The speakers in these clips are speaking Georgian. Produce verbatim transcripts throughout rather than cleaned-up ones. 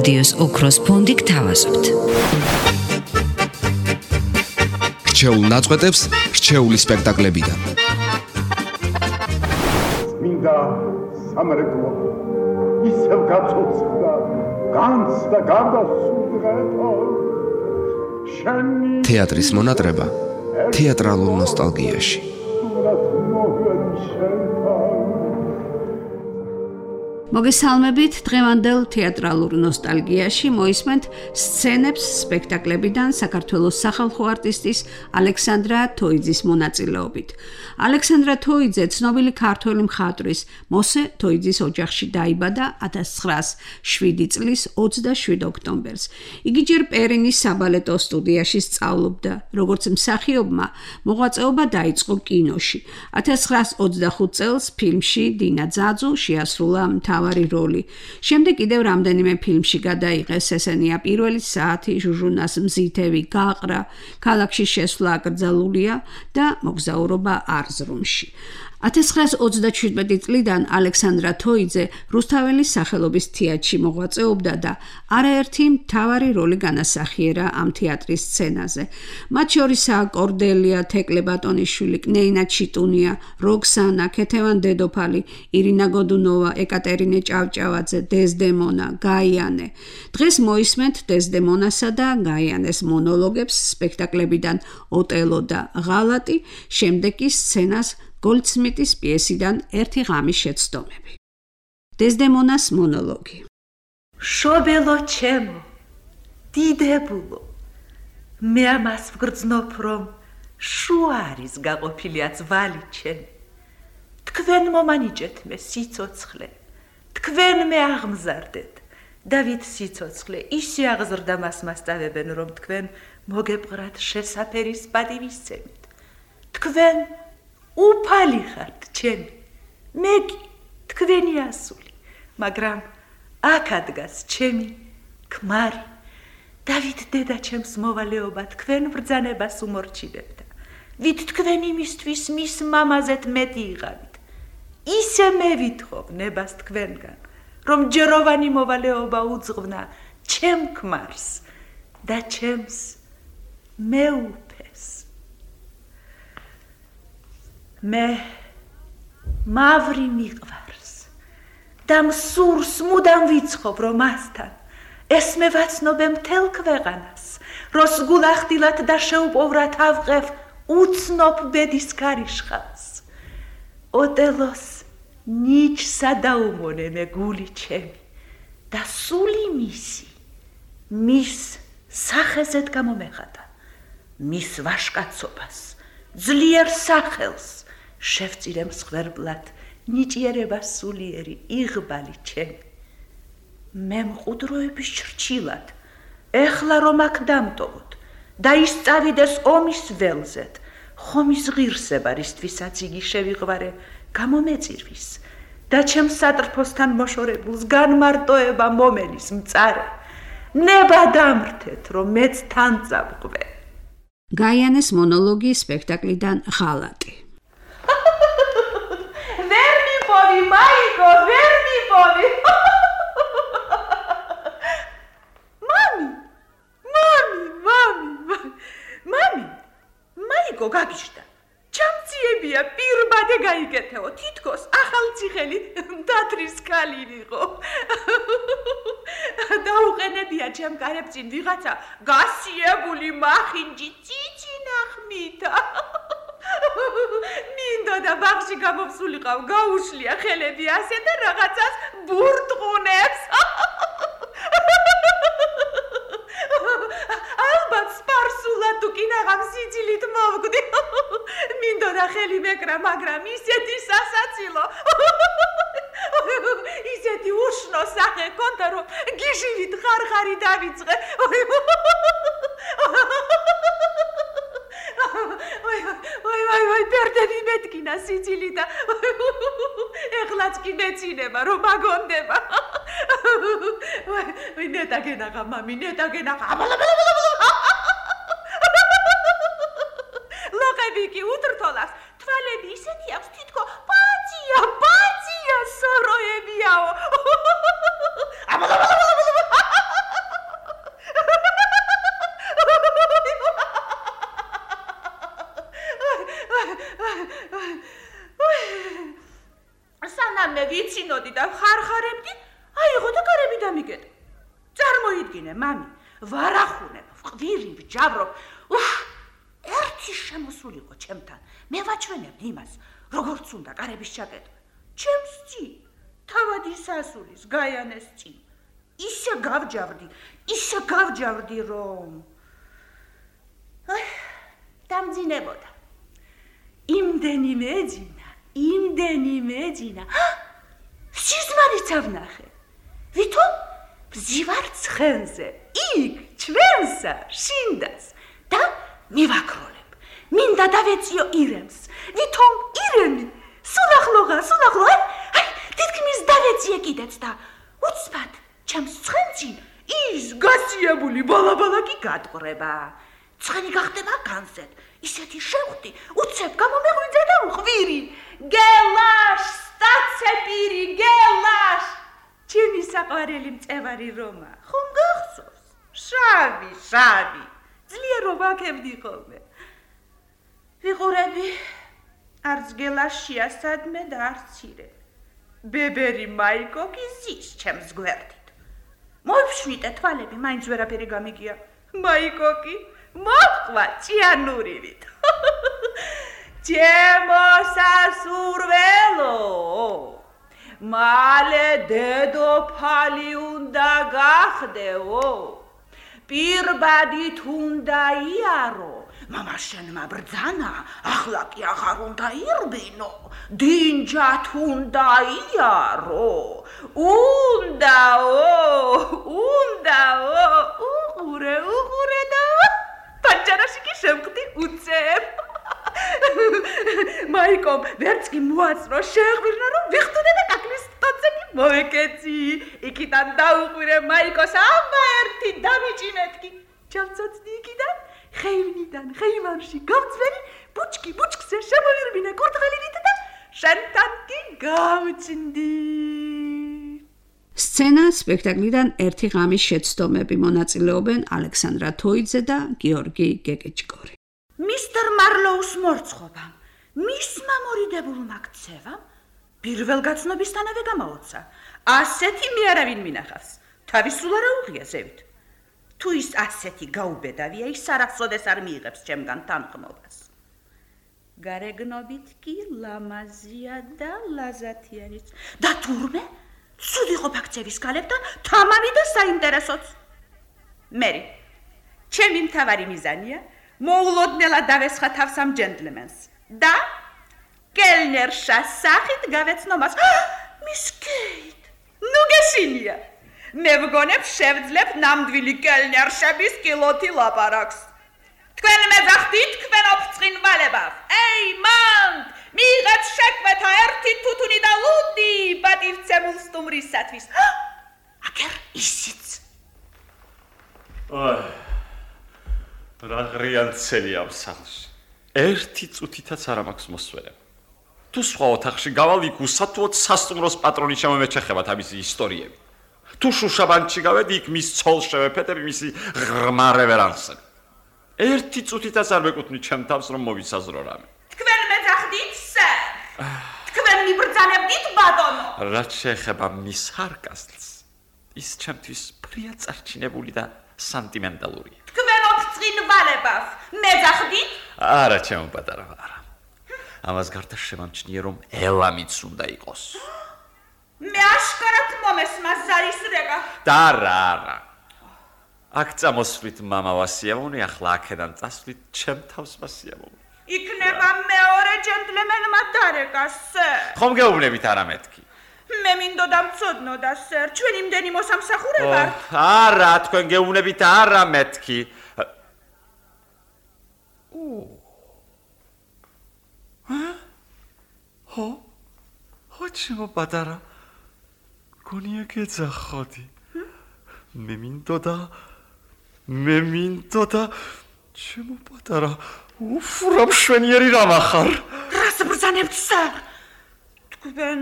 რადიოს ოქროს ფონდი გთავაზობთ. რჩეულ ნაწყვეტებს რჩეული სპექტაკლებიდან. მინდა სამრეკლო ისევ გაწოცხდა განცდა გარდასულღეთა შენი თეატრის მონატრება თეატრალურ ნოსტალგიაში. მოგესალმებით დღევანდელ თეატრალურ ნოსტალგიაში მოისმენთ სცენებს სპექტაკლებიდან საქართველოს სახალხო არტისტის ალექსანდრა თოიძის მონაწილეობით. ალექსანდრა თოიძე ცნობილი ქართველი მხატვრის მოსე თოიძის ოჯახში დაიბადა ათას ცხრაას შვიდი წლის ოცდაშვიდ ოქტომბერს. იგი ჯერ პერინის საბალეტო სტუდიაში სწავლობდა, როგორც მსახიობმა მოღვაწეობა დაიწყო კინოში. ათას ცხრაას ოცდახუთ წელს ფილმში დინა ძაძუ შეასრულა მთავარი როლი. შემდეგ კიდევ რამდენიმე ფილმში გადაიღეს, ესენია პირველი საათი, ჟუჟუნას მზითევი, გაყრა, ქალაქში შესვლა აკრძალულია და მოგზაურობა არზრუმში. ათას ცხრაას ოცდაჩვიდმეტი წლიდან ალექსანდრა თოიძე რუსთაველის სახელობის თეატრში მოღვაწეობდა და არაერთი მთავარი როლი განასახიერა ამ თეატრის სცენაზე. მათ შორისაა კორდელია, თეკლე ბატონიშვილი, კნეინა ჩიტუნია, როქსანა, ქეთევან დედოფალი, ირინა გოდუნოვა, ეკატერინე ჭავჭავაძე, დეზდემონა, გაიანე. დღეს მოისმენთ დეზდემონასა და გაიანეს მონოლოგებს სპექტაკლებიდან ოტელო და ღალატი, შემდეგ კი სცენას გოლდსმიტის პიესიდან ერთი ღამის შეცდომები. დეზდემონას მონოლოგი. შობელო ჩემო, დიდებულო, მე ამას ვგრძნობ, რომ შუა არის გაყოფილია ძვალი ჩემი. თქვენ მომანიჭეთ მე სიცოცხლე, თქვენ მე აღმზარდეთ და ვით სიცოცხლე ისე აღზრდა მას მასწავებენ, რომ თქვენ მოგეპყრათ შესაფერის პატივისცემით. თქვენ უფალი ხართ ჩემი, მე კი თქვენი ასული, მაგრამ აქ ადგას ჩემი ქმარი. დავით დედა ჩემს მოვალეობა თქვენ ბრძანებას უმორჩილებდა. ვით თქვენ იმისთვის მის მამაზეთ მეტი იღავით. ისე მე ვითხოვ ნებას თქვენგან, რომ ჯეროვანი მოვალეობა უძღვნა ჩემ ქმარს და ჩემს მეუფეს. მე მავრი მიყვარს და მსურს მუდამ ვიცხოვ, რომ მასთან ეს მე ვაცნობე მთელ ქვეყანას, რომ სგულახდილად და შეუპოვრად ავყევ უცნობ ბედის ქარიშხალს. ოტელოს ნიჩსა დაუმონე მე გული ჩემი და სული მისი მის სახეზეთ გამომეხატა, მის ვაშკაცობას, ძლიერ სახელს შევწირე მსხვერპლად ნიჭიერება სულიერი იღბალი ჩემი. მე მყუდროების ჩრჩილად ეხლა რომ აქ დამტოვოთ და ისწავიდეს ომის ველზეთ, ხომის ღირსება რისთვისაც იგი შევიღვარე გამომეწირვის და ჩემ სატრფოსთან მოშორებულს განმარტოება მომელის მწარე. ნება დამრთეთ, რომ მეც თან წავყვე. გაიანეს მონოლოგი სპექტაკლიდან ღალატი. ვერ მიპოვი, მაიკო, ვერ მიპოვი. მამი, მამი, მამი, მამი, მაიკო გაგიჟდა. ჩამციებია პირბადე გაიგეთეო, თითქოს ახალციხელი მდათრის ქალი ვიყო. დაუყენებია ჩემ კარებწინ ვიღაცა გასიებული მახინჯი ციცინახმითა. მინდოდა ბაღში გამოვსულიყავ, გაუშლია ხელები ასე და რაღაცას ბურტყუნებს. ალბათ სპარსულად თუ კინაღამ სიცილით მოვკვდი. მინდოდა ხელი მეკრა, მაგრამ ისეთი სასაცილო. ისეთი უშნო სახე კონდა, რომ გიჟივით ხარხარი დავიწყე. ой ой ой ой პერდები მეტკინა სიცილი და ეხლაც კი მეცინება რომ აგონდება. ой ой ნეტაგენაღა მამი, ნეტაგენაღა. ლოყები კი უთრთოლას, თვალები ისეთი აქვს თითქო პაცია, პაცია სოროებიაო. სანამ მე ვიცინოდი და ხარხარებდი, აიღო და გარები დამიგეთ. წარმოიდგინე, მამი, ვარახუნებ, ვყვირი, ვჯავრობ. უჰ, ერთი შემოსულიყო ჩემთან. მე ვაჩვენებ იმას, როგორც უნდა კარების ჩაკეტვა. ჩემს წინ, თავად ისასულის, გაიანეს წინ. ისე გავჯავდი, ისე გავჯავდი, რომ აი, დამძინებოდა. იმდენი მეძინა, იმდენი მეძინა. სიზმარიც ავნახე. ვითომ ვზივარ ცხენზე, იქ, ჩვენსა, შინდას და მივაქროლებ. მინდა დავეციო ირემს. ვითომ ირემი, სულახლოღა, სულახლო, აი, თითქმის დავეციე კიდეც და უცბად, ჩემს ცხენში ის გასიებული ბალაბალაკი გადყრება. ცხენი გახდება განზედ. ისეთი შეხვდი, უცებ გამომეღვიძე და უყვირი. გელაშ, სტაცეპირი, გელაშ. ჩემი საყვარელი მწევარი რომა, ხომ გახსოვს? შავი, შავი. ძლიერ ვაკებდი ხოლმე. ვიყურები, არც გელაშ შეასადმე და არც ირე. ბებერი მაიკოკი ზის ჩემს გვერდით. მოიფშვნიტე თვალები, მაინც ვერაფერი გამიგია. მაიკოკი მოყვა ჭიანურივით. ჩემო სასურველო, მალე დედოფალი უნდა გახდეო. პირბადით უნდა იარო. მამა შენმა ბრძანა, ახლა კი აღარ უნდა ირბინო. დინჯათ უნდა იარო. უნდაო, უნდაო, უყურე, უყურე და პანჯარაში კი შევხვდი უცებ. მაიკომ ვერც კი მოაწრო შეეღვირნა რომ ვიხტუნე და კაკლის ტოცე კი მოეკეცი. იქიდან დაუყვირე მაიკოს ამა ერთი დამიჭიმეთკი. ჩავცოცდი იქიდან, ხეივნიდან ხეივანში გავწვერი, ბუჩკი ბუჩკზე შემოირბინე კურდღელით და შენთან კი გავწნდი. სცენა სპექტაკლიდან ერთი ღამის შეცდომები მონაწილეობენ ალექსანდრა თოიძე და გიორგი გეგეჭკორი. მისტერ მარლოუს მორცხობამ, მისმა მორიდებულმა ქცევამ პირველგაცნობისთანავე გამაოცა. ასეთი მე არავინ მინახავს. თავისულ არა უღია ზევით. თუ ის ასეთი გაუბედავია, ის არასოდეს არ მიიღებს ჩემგან თანხმობას. გარეგნობით კი ლამაზია და ლაზათიანიც. და თურმე ცუდი ყოფა ქცევის კალებთან თამამი და საინტერესოც. მერი, ჩემი მთავარი მიზანია მოულოდნელად დავესხა თავს ამ ჯენტლმენს და კელნერშა სახით გავეცნო მას. მის კეით, ნუ გეშინია. მე ვგონებ შევძლებ ნამდვილი კელნერშების კილოთი ლაპარაკს. თქვენ მეძახდით თქვენ ოფწყინვალებას. ეი მანდ, მიიღეთ შეკვეთა ერთი თუთუნი და ლუდი პატივცემულ სტუმრისათვის. აგერ ისიც. აი, რა ღრიანცელი ამ სახლში. ერთი წუთითაც არ მაქვს მოსვერება. თუ სხვა ოთახში გავალ, იქ უსათუოდ სასტუმროს პატრონი შემომეჩეხება თავისი ისტორიები. თუ შუშაბანკში გავედი, იქ მის ცოლს შევეფეთები მისი ღრმა რევერანსები. ერთი წუთითაც არ მეკუთვნით ჩემ თავს, რომ მოვისაზრო რამე. თქვენ მეძახდით, სერ. თქვენ მიბრძანებდით, ბატონო. რაც შეეხება მის სარკასტს, ის ჩემთვის პრია წარჩინებული და სანტიმენტალურია. თქვენ ოფწყინვალებას მეძახდით? არა, ჩემო პატარა, არა. ამას გარდა შემამჩნია, რომ ელამიც უნდა იყოს. მე აშკარად მომესმა ზარის რეგა. და არა, არა. აქ წამოსვლით მამა ვასიამოვნე, ახლა აქედან წასვლით ჩემ თავს ვასიამოვნე. იქნება მეორე ჯენტლმენმა დარეკა, სერ. ხომ გეუბნებით არა მეთქი? მე მინდოდა მწოდნოდა, სერ, ჩვენი იმდენი მოსამსახურე ვართ. არა, თქვენ გეუბნებით არა მეთქი. ხო? ხო, ჩემო პატარა. გონია გეძახოდი. მე მინდოდა მე მინდოდა ჩემო პატარა უფრა მშვენიერი რამ ახარ. რას ბრძანებთ, სერ? თქვენ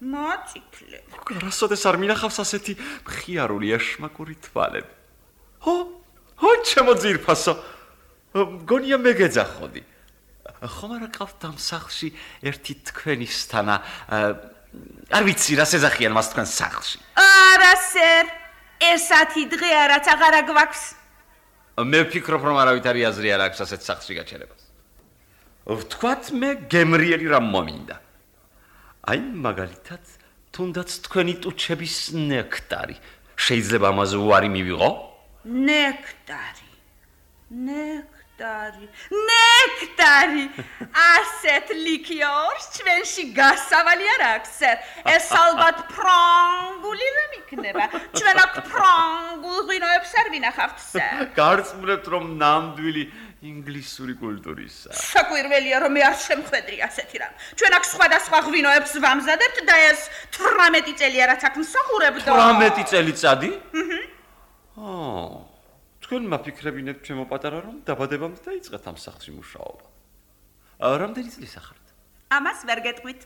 მაწითლეთ. რასოდეს არ მინახავს ასეთი მხიარული ეშმაკური თვალები. ხო? ხო, ჩემო ძირფასო. გონია მე გეძახოდი. ხომ არა ყავთ ამ სახლში ერთი თქვენისთანა არ ვიცი რა სეზახიან მას თქვენ სახლში არა სერ ესეთი დღეა რაც აღარა გვაქვს მე ვფიქრობ რომ არავით არის აზრი არ აქვს ასეთ სახლში გაჩერებას ვთქვათ მე გემრიელი რამ მომინდა აი მაგალითად თუნდაც თქვენი ტუჩების ნექტარი შეიძლება ამაზე უარი მივიღო ნექტარი ნექტარი ნექტარი ასეთ ლიქიორს ჩვენში გასავალი არ აქვს ეს ალბათ ფრანგული რამ იქნება ჩვენ აქ ფრანგულ ღვინოებს არ ვინახავთ სერ გარწმუნებთ რომ ნამდვილი ინგლისური კულტურისა საკვირველია რომ მე არ შემხვედრი ასეთი რამ ჩვენ აქ სხვადასხვა ღვინოებს ვამზადებთ და ეს თვრამეტი წელია რაც აქ მსახურებდო თვრამეტი წელიწადი აჰა თქვენმა ფიქრებინეთ ჩემო პატარა რომ დაბადებამდე დაიწყეთ ამ სახლში მუშაობა. რამდენი წლის ახართ? ამას ვერ გეტყვით.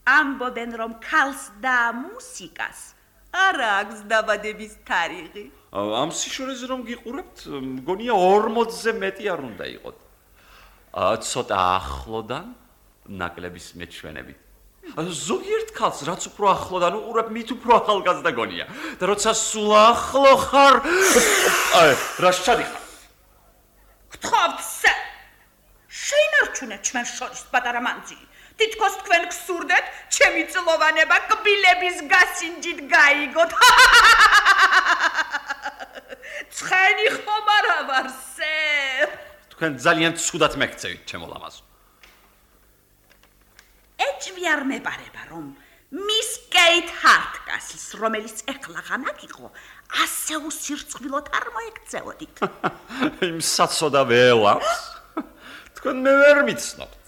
ამბობენ რომ ქალს და მუსიკას არ აქვს დაბადების თარიღი. ამ სიშორეზე რომ გიყურებთ, მგონია ორმოცზე მეტი არ უნდა იყოთ. ცოტა ახლოდან ნაკლების მეჩვენებით. ზოგიერთ ქალს რაც უფრო ახლოდან უყურებ, მით უფრო ახალგაზრდა გონია. და როცა სულ ახლო ხარ, აი, რა შადიხარ? გთხოვთ, სერ. შეინარჩუნეთ ჩვენ შორის პატარა მანძილი. თითქოს თქვენ გსურდეთ, ჩემი წლოვანება კბილების გასინჯით გაიგოთ. ცხენი ხომ არა ვარ, სერ? თქვენ ძალიან ცუდად მეკცევით, ჩემო ლამაზო. ეჭვი არ მეპარება რომ მის კეით ჰარტკასლს რომელიც ეხლა ღამაკ იყო ასე უსირწყვილოდ არ მოექცეოდით იმ საცოდა ველავს თქვენ მე ვერ მიცნობთ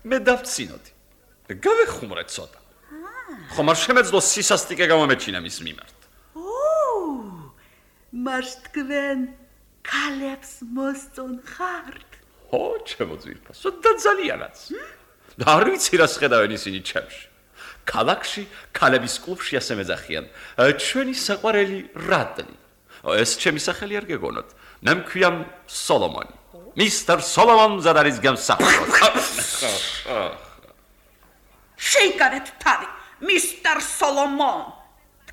მე დავცინოდი გავეხუმრეთ ცოტა ხომ არ შემეძლო სისასტიკე გამომეჩინა მის მიმართ ო მას თქვენ ქალებს მოსწონ ხართ ო ჩემო ძვირფასო და ძალიანაც არ ვიცი რა შეხედავენ ისინი ჩემში. ქალაქში ქალების კლუბში ასე მეძახიან. ჩვენი საყვარელი რატნი. ეს ჩემი სახელი არ გეგონოთ. მე მქვია სოლომონი. მისტერ სოლომონ მზად არის გამსახურდ. შეიკავეთ თავი, მისტერ სოლომონ.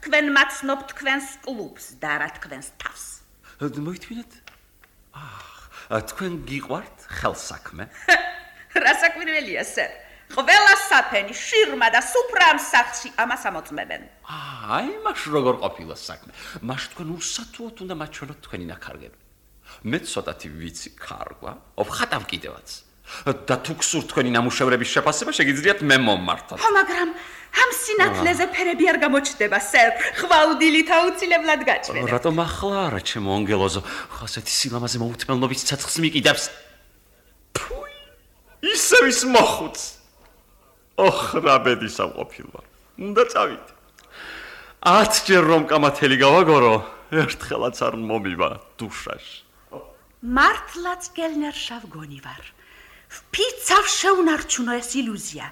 თქვენ მაცნობთ თქვენს კლუბს და რა თქვენს თავს. მოითმინეთ? აა, თქვენ გიყვართ ხელსაქმე? რა საკვირველია, სერ? ყველა საფენი, შირმა და სუფრა ამ სახლში ამას ამოწმებენ. აი, მაშ როგორ ყოფილა საქმე? მაშ თქვენ უსათუოდ უნდა მაჩვენოთ თქვენი ნაქარგები. მე ცოტათი ვიცი ქარგვა, ვხატავ კიდევაც. და თუ გსურთ თქვენი ნამუშევრების შეფასება, შეგიძლიათ მე მომმართოთ. ხო, მაგრამ ამ სინათლეზე ფერები არ გამოჩნდება, სერ. ხვალდილით აუცილებლად გაჩვენებ. რატომ ახლა არა, ჩემო ანგელოზო? ხო, ასეთი სილამაზე მოუთმელნობის ცეცხლს მიყიდებს. ისევ ის მოხუც. ოხ, რა ბედი სამყოფილა. უნდა წავიდე. ათჯერ რომ კამათელი გავაგორო, ერთხელაც არ მომივა დუშაში. მართლაც გელნერშავ გონი ვარ. ვფიცავ შეუნარჩუნო ეს ილუზია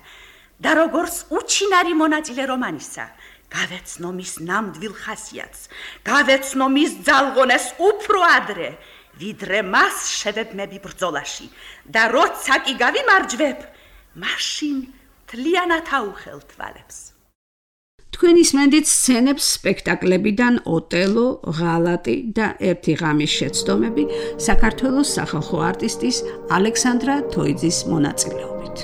და როგორც უჩინარი მონაწილე რომანისა, გავეცნო მის ნამდვილ ხასიათს, გავეცნო მის ძალღონეს უფრო ადრე. ვიდრე მას შევებმები ბრძოლაში და როცა კი გავიმარჯვებ, მაშინ თლიანად აუხელთ ვალებს. თქვენ ისმენდით სცენებს სპექტაკლებიდან ოტელო, ღალატი და ერთი ღამის შეცდომები საქართველოს სახალხო არტისტის ალექსანდრა თოიძის მონაწილეობით.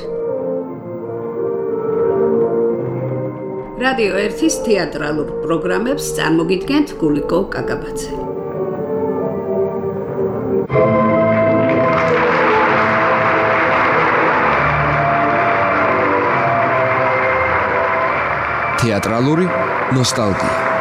რადიო ერთის თეატრალურ პროგრამებს წარმოგიდგენთ გულიკო კაკაბაძე. თეატრალური ნოსტალგია